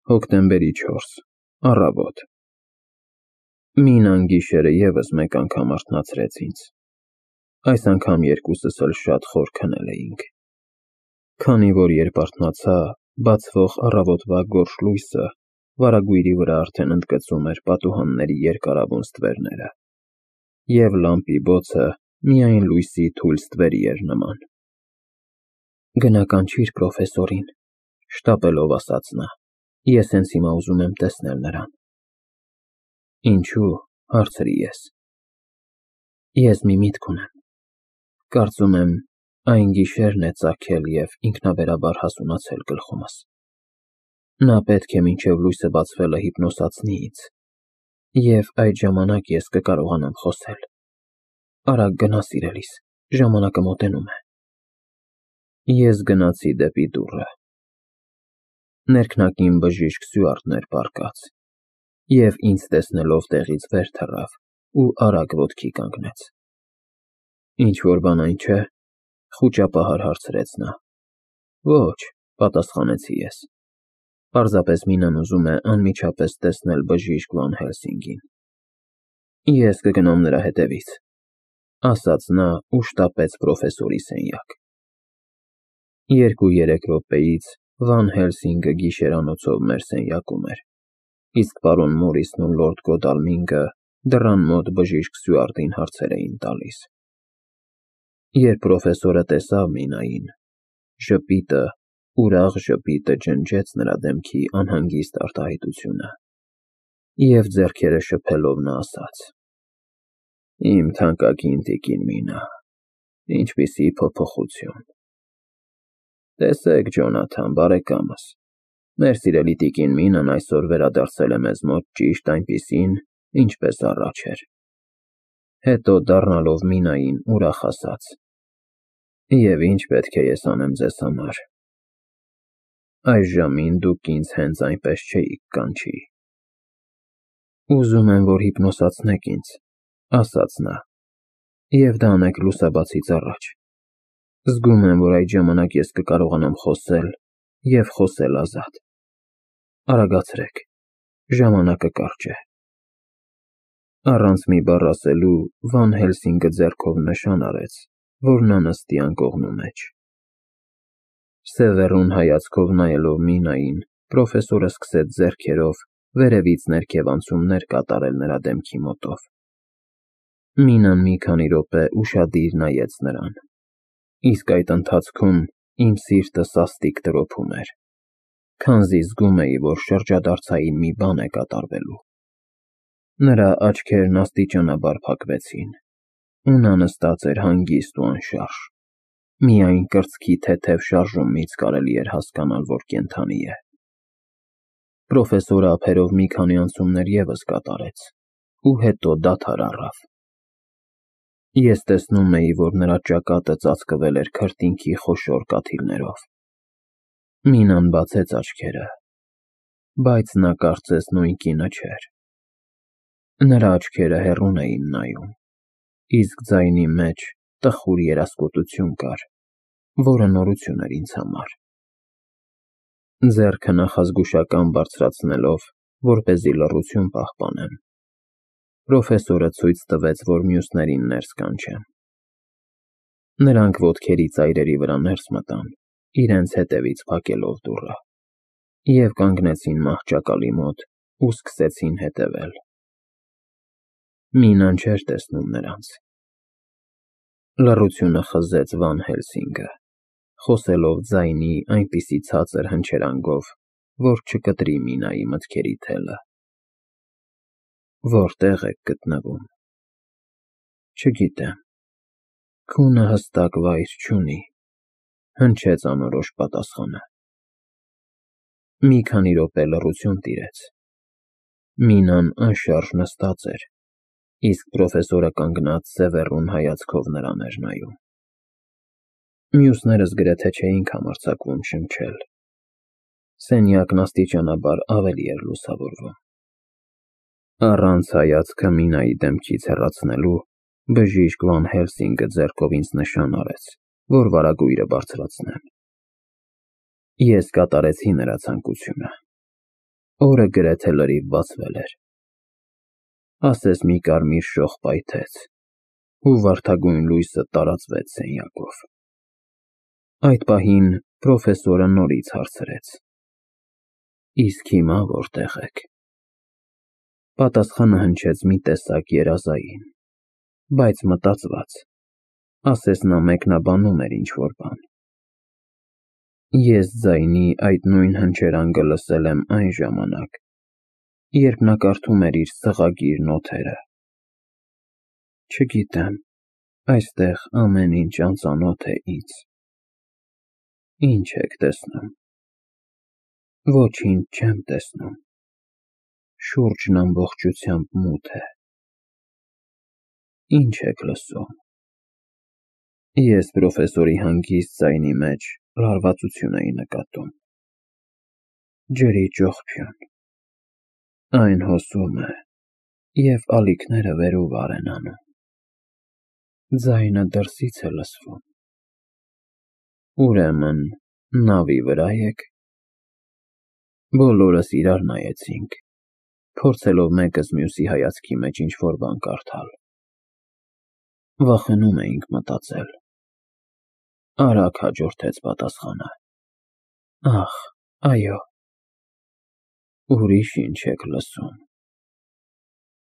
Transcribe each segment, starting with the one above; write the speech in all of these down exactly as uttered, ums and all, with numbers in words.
Հոկտեմբերի չորս, առավոտ։ Մինան գիշերը ևս մեկ անգամ արթնացրեց ինձ։ Այս անգամ երկուսս էլ շատ խոր քնել էինք։ Քանի որ երբ արթնացա, բացվող առավոտվա գորշ լույսը վարագույրի վրա արդեն ընդգծում էր պատուհանների երկարավուն ստվերները, և լամպի բոցը միայն լույսի թույլ ստվերի էր նման։ Գնականչիր պրոֆեսորին, շտապելով ասաց նա, ես հենց հիմա ուզում եմ տեսնել նրան։ Ինչու՞, հարցրի ես։ Ես մի միտք ունեմ, կարծում եմ այն գիշերն է ծագել և ինքնաբերաբար հասունացել գլխումս։ Նա պետք է մինչև լույսը բացվելը հիպնոսացնի ինձ, և այդ ժամանակ ես կկարողանամ խոսել։ Արագ գնա սիրելիս, ժամանակը մոտենում է։ Ես գնացի դեպի դուռը։ Ներքնակին բժիշկ Սյուարտն էր պառկած, և ինձ տեսնելով տեղից վեր թռավ ու արագ ոտքի կանգնեց։ Ինչ-որ բան այն չէ՞, խուճապահար հարցրեց նա։ Ոչ, պատասխանեցի ես։ Պարզապես Մինան ուզում է անմիջապես տեսնել բժիշկ Վան Հելսինգին։ Ես կգնամ նրա հետևից, ասաց նա ու շտապեց պրոֆեսորի սենյակ։ Երկու-երեք րոպեից Վան Հելսինգը գիշերանոցով մեր սենյակում էր, իսկ պարոն Մորիսն ու լորդ Գոդալմինգը դռան մոտ բժիշկ Սյուարտին հարցեր էին տալիս։ Երբ պրոֆեսորը տեսավ Մինային, ժպիտը, ուրախ ժպիտը ջնջեց նրա դեմքի անհանգիստ արտահայտությունը, և ձեռքերը շփելով նա ասաց. Իմ թանկագին տիկին Մինա, ինչպիսի փոփոխություն։ Տեսեք, Ջոնաթան, բարեկամս, մեր սիրելի տիկին Մինան այսօր վերադարձել է մեզ մոտ ճիշտ այնպիսին, ինչպես առաջ էր։ Հետո դառնալով Մինային ուրախ ասաց. Եվ ինչ պետք է ես անեմ ձեզ համար։ Այս ժամին դուք ինձ հենց այնպես չէիք կանչի։ Ուզում եմ, որ հիպնոսացնեք ինձ, ասաց նա, և դա անեք լուսաբացից առաջ։ Զգում եմ, որ այդ ժամանակ ես կկարողանամ խոսել և խոսել ազատ։ Արագացրեք, ժամանակը կարճ է։ Առանց մի բառ ասելու Վան Հելսինգը ձեռքով նշան արեց, որ նա նստի անկողնու մեջ։ Սևեռուն հայացքով նայելով Մինային, պրոֆեսորը սկսեց ձեռքերով վերևից ներքև անցումներ կատարել նրա դեմքի մոտով։ Մինան մի քանի րոպե ուշադիր նայեց նրան, իսկ այդ ընթացքում իմ սիրտը սաստիկ տրոփում էր, քանզի զգում էի, որ շրջադարձային մի բան է կատարվելու։ Նրա աչքերն աստիճանաբար փակվեցին, ու նա նստած էր հանգիստ ու անշարժ, միայն կրծքի թեթև շարժումից կարելի էր հասկանալ, որ կենդանի է։ Պրոֆեսորը ափերով մի քանի անցումներ ևս կատարեց ու հետո դադար առավ։ Ես տեսնում էի, որ նրա ճակատը ծածկվել էր քրտինքի խոշոր կաթիլներով։ Մինան բացեց աչքերը, բայց նա կարծես նույն կինը չէր։ Նրա աչքերը հեռուն էին նայում, իսկ ձայնի մեջ տխուր երասկոտություն կար, որը նորություն էր ինձ համար։ Ձեռքը նախազգուշական բարձրացնելով, որպեսզի լռություն պահպանեմ, պրոֆեսորը ցույց տվեց, որ մյուսներին ներս կանչեմ։ Նրանք ոտքերի ծայրերի վրա ներս մտան, իրենց հետևից փակելով դուռը, և կանգնեցին մահճակալի մոտ ու սկսեցին հետևել։ Մինան չէր տեսնում նրանց։ Լռությունը խզեց Վան Հելսինգը, խոսելով ձայնի այնպիսի ցածր հնչերանգով, որ չկտրի Մինայի մտքերի թելը։ Որտե՞ղ եք գտնվում։ Չգիտեմ։ Քունը հստակ վայր չունի, հնչեց անորոշ պատասխանը։ Մի քանի րոպե լռություն տիրեց։ Մինան անշարժ նստած էր, իսկ պրոֆեսորը կանգնած սևեռուն հայացքով նրան էր նայում։ Մյուսներս գրեթե չէինք համարձակվում շնչել։ Սենյակն աստիճանաբար ավելի էր լուսավորվում։ Առանց հայացքը Մինայի դեմքից հեռացնելու, բժիշկ Վան Հելսինգը ձեռքով ինձ նշան արեց, որ վարագույրը բարձրացնեմ։ Ես կատարեցի նրա ցանկությունը։ Օրը գրեթե լրիվ բացվել էր։ Ասես մի կարմիր շող պայթեց, ու վարդագույն լույսը տարածվեց սենյակով։ Այդ պահին պրոֆեսորը նորից հարցրեց. Իսկ հիմա որտեղ եք։ Պատասխանը հնչեց մի տեսակ երազային, բայց մտածված, ասես նա մեկնաբանում էր ինչ-որ բան։ Ես ձայնի այդ նույն հնչերանգը լսել եմ այն ժամանակ, երբ նա կարդում էր իր սղագիր նոթերը։ Չգիտեմ, այստեղ ամեն ինչ անծանոթ է ինձ։ Ինչ եք տեսնում։ Ոչինչ չեմ տեսնում։ Շուրջն ամբողջությամբ մութ է։ Ինչ եք լսում։ Ես պրոֆեսորի հանգիստ ձայնի մեջ լարվածություն էի նկատում։ Ջրի ճոխփյուն։ Այն հոսում է, և ալիքները վեր ու վար են անում։ Ձայնը դրսից է լսվում։ Ուրեմն նավի վրա եք։ Բոլորս իրար նայեցինք, փորձելով մեկս մյուսի հայացքի մեջ ինչ-որ բան կարդալ։ Վախենում էինք մտածել։ Արագ հաջորդեց պատասխանը. Ախ, այո։ Ուրիշ ինչ եք լսում։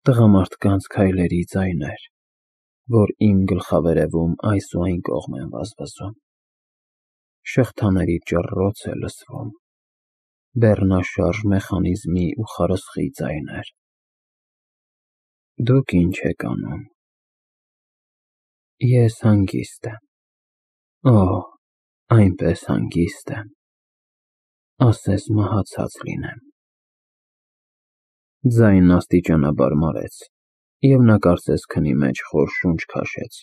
Տղամարդկանց քայլերի ձայներ, որ իմ գլխավերևում այս ու այն կողմ են վազվզում։ Շղթաների ճռռոց է լսվում, բեռնաշարժ մեխանիզմի ու խարսխի ձայներ։ Դուք ինչ եք անում։ Ես հանգիստ եմ։ Օ, այնպես հանգիստ եմ, ասես մահացած լինեմ։ Ձայնն աստիճանաբար մարեց, և նա կարծես քնի մեջ խոր շունչ քաշեց,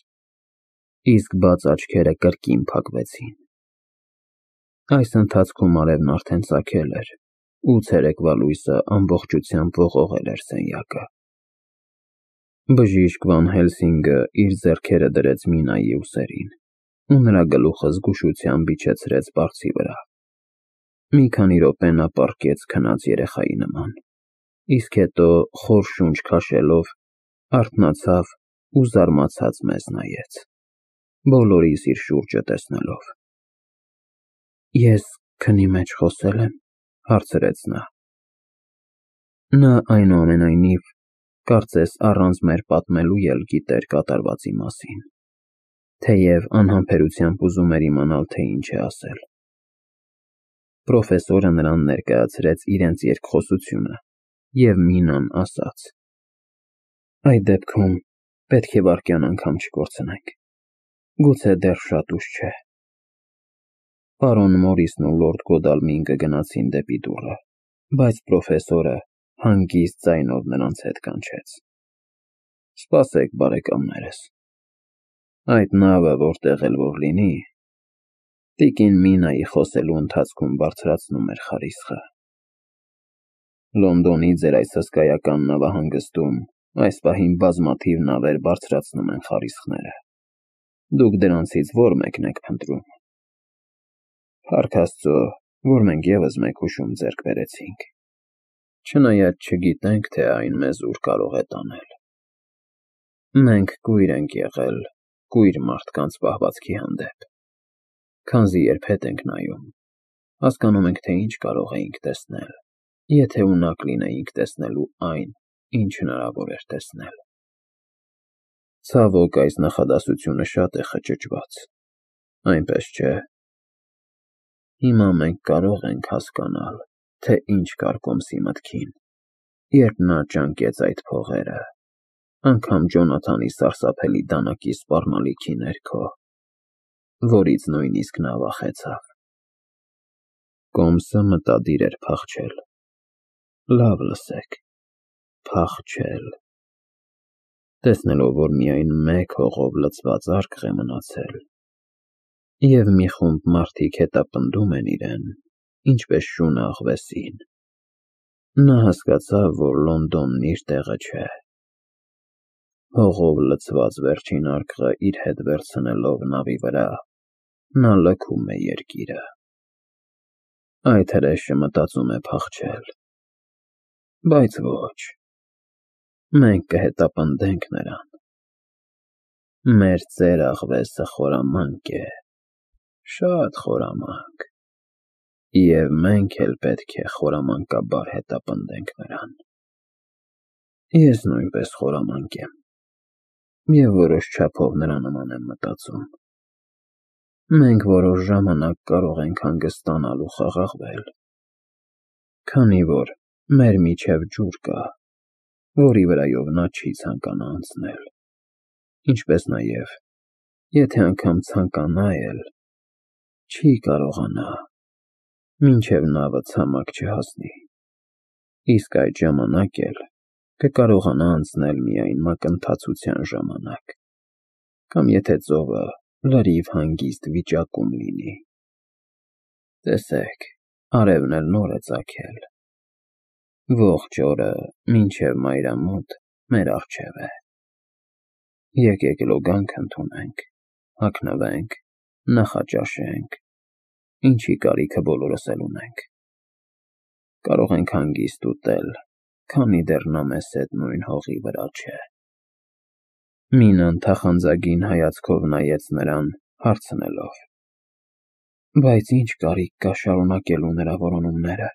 իսկ բաց աչքերը կրկին փակվեցին։ Այս ընթացքում արևն արդեն ծագել էր, ու ցերեկվա լույսը ամբողջությամբ ողողել էր սենյակը։ Բժիշկ Վան Հելսինգը իր ձեռքերը դրեց Մինայի ուսերին, ու նրա գլուխը զգուշությամբ իջեցրեց բարձի վրա։ Մի քանի րոպե նա պառկեց քնած երեխայի նման, իսկ հետո խոր շունչ քաշելով արթնացավ ու զարմացած մեզ նայեց, բոլորիս իր շուրջը տեսնելով։ Ես քնի մեջ խոսե՞լ եմ, հարցրեց նա։ Նա այնուամենայնիվ կարծես առանց մեր պատմելու էլ գիտեր կատարվածի մասին, թեև անհամբերությամբ ուզում էր իմանալ, թե ինչ է ասել։ Պրոֆեսորը նրան ներկայացրեց իրենց երկխոսությունը, և Մինան ասաց. Այդ դեպքում պետք է վայրկյան անգամ չկորցնենք, գուցե դեռ շատ ուշ չէ։ Պարոն Մորիսն ու լորդ Գոդալմին կգնացին դեպի դուռը, բայց պրոֆեսորը հանգիստ ձայնով նրանց հետ կանչեց. Սպասեք, բարեկամներս, այդ նավը որտեղ էլ որ լինի, տիկին Մինայի խոսելու ընթացքում բարձրացնում էր խարիսխը։ Լոնդոնի ձեր այս հսկայական նավահանգստում այս պահին բազմաթիվ նավեր բարձրացնում են խարիսխները։ Դուք դրանցից ո՞ր մեկն եք փնտրում։ Փառք Աստծո, որ մենք ևս մեկ հուշում ձեռք բերեցինք, չնայած չգիտենք, թե այն մեզ ուր կարող է տանել։ Մենք կույր ենք եղել կույր մարդկանց պահվածքի հանդեպ, քանզի երբ հետ ենք նայում, հասկանում ենք, թե ինչ կարող էինք տեսնել, եթե ունակ լինեինք տեսնելու այն, ինչ հնարավոր էր տեսնել։ Ցավոք, այս նախադասությունը շատ է խճճված, այնպես չէ։ Հիմա մենք կարող ենք հասկանալ, թե ինչ կար Կոմսի մտքին, երբ նա ճանկեց այդ փողերը, անգամ Ջոնաթանի սարսափելի դանակի սպառնալիքի ներքո, որից նույնիսկ նա վախեցավ։ Կոմսը մտադիր էր փախչել։ Լավ լսեք, փախչել։ Տեսնելով, որ միայն մեկ հողով լցված արկղ է մնացել, և մի խումբ մարդիկ հետապնդում են իրեն, ինչպես շունը աղվեսին, նա հասկացավ, որ Լոնդոնն իր տեղը չէ։ Հողով լցված վերջին արկղը իր հետ վերցնելով նավի վրա, նա լքում է երկիրը։ Այդ հրեշը մտածում է փախչել, Բայց ոչ, մենք կհետապնդենք նրան։ Մեր ծեր աղվեսը խորամանկ է, շատ խորամանկ, և մենք էլ պետք է խորամանկաբար հետապնդենք նրան։ Ես նույնպես խորամանկ եմ, և որոշ չափով նրա նման եմ մտածում։ Մենք որոշ ժամանակ կարող ենք հանգստանալ ու խաղաղվել, քանի որ մեր միջև ջուր կա, որի վրայով նա չի ցանկանա անցնել, ինչպես նաև, եթե անգամ ցանկանա էլ, չի կարողանա, մինչև նավը ցամաք չհասնի, իսկ այդ ժամանակ էլ կկարողանա անցնել միայն մակընթացության ժամանակ, կամ եթե ծովը լրիվ հանգիստ վիճակում լինի։ Տեսեք, արևն էլ նոր է ծագել, ողջ օրը մինչև մայրամուտ մեր առջև է։ Եկեք լոգանք ընդունենք, հագնվենք, նախաճաշենք, ինչի կարիքը բոլորս էլ ունենք։ Կարող ենք հանգիստ ուտել, քանի դեռ նա մեզ հետ նույն հողի վրա չէ։ Մինան թախանձագին հայացքով նայեց նրան, հարցնելով. Բայց ինչ կարիք կա շարունակելու նրա որոնումները,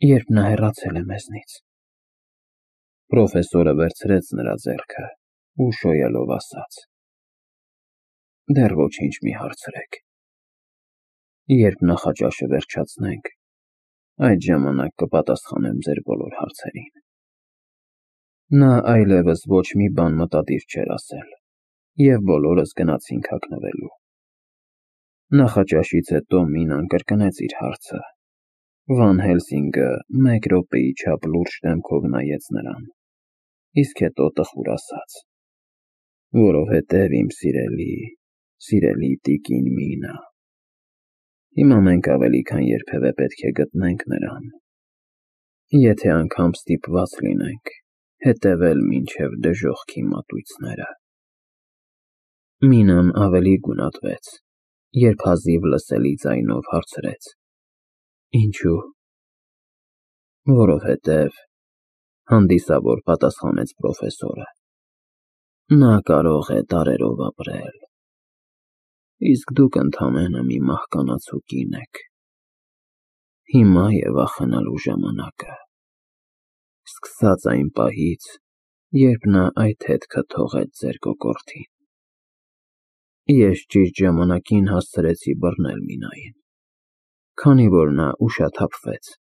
երբ նա հեռացել է մեզնից։ Պրոֆեսորը վերցրեց նրա ձեռքը ու շոյելով ասաց. Դեռ ոչինչ մի հարցրեք։ Երբ նախաճաշը վերջացնենք, այդ ժամանակ կպատասխանեմ ձեր բոլոր հարցերին։ Նա այլևս ոչ մի բան մտադիր չէր ասել, և բոլորս գնացինք հագնվելու։ Նախաճաշից հետո Մինան կրկնեց իր հարցը։ Վան Հելսինգը մեկ րոպեի չափ լուրջ դեմքով նայեց նրան, իսկ հետո տխուր ասաց. Որովհետև իմ սիրելի, սիրելի տիկին Մինա, հիմա մենք ավելի քան երբևէ պետք է գտնենք նրան, եթե անգամ ստիպված լինենք հետևել մինչև դժոխքի մատույցները։ Մինան ավելի գունատվեց, երբ հազիվ լսելի ձայնով հարցրեց. Ինչու՞։ Որովհետև, հանդիսավոր պատասխանեց պրոֆեսորը, նա կարող է դարերով ապրել, իսկ դուք ընդամենը մի մահկանացու կին եք։ Հիմա է վախենալու ժամանակը, սկսած այն պահից, երբ նա այդ հետքը թողեց ձեր կոկորդին։ Ես ճիշտ ժամանակին հասցրեցի բռնել Մինային, քանի որ նա ուշաթափվեց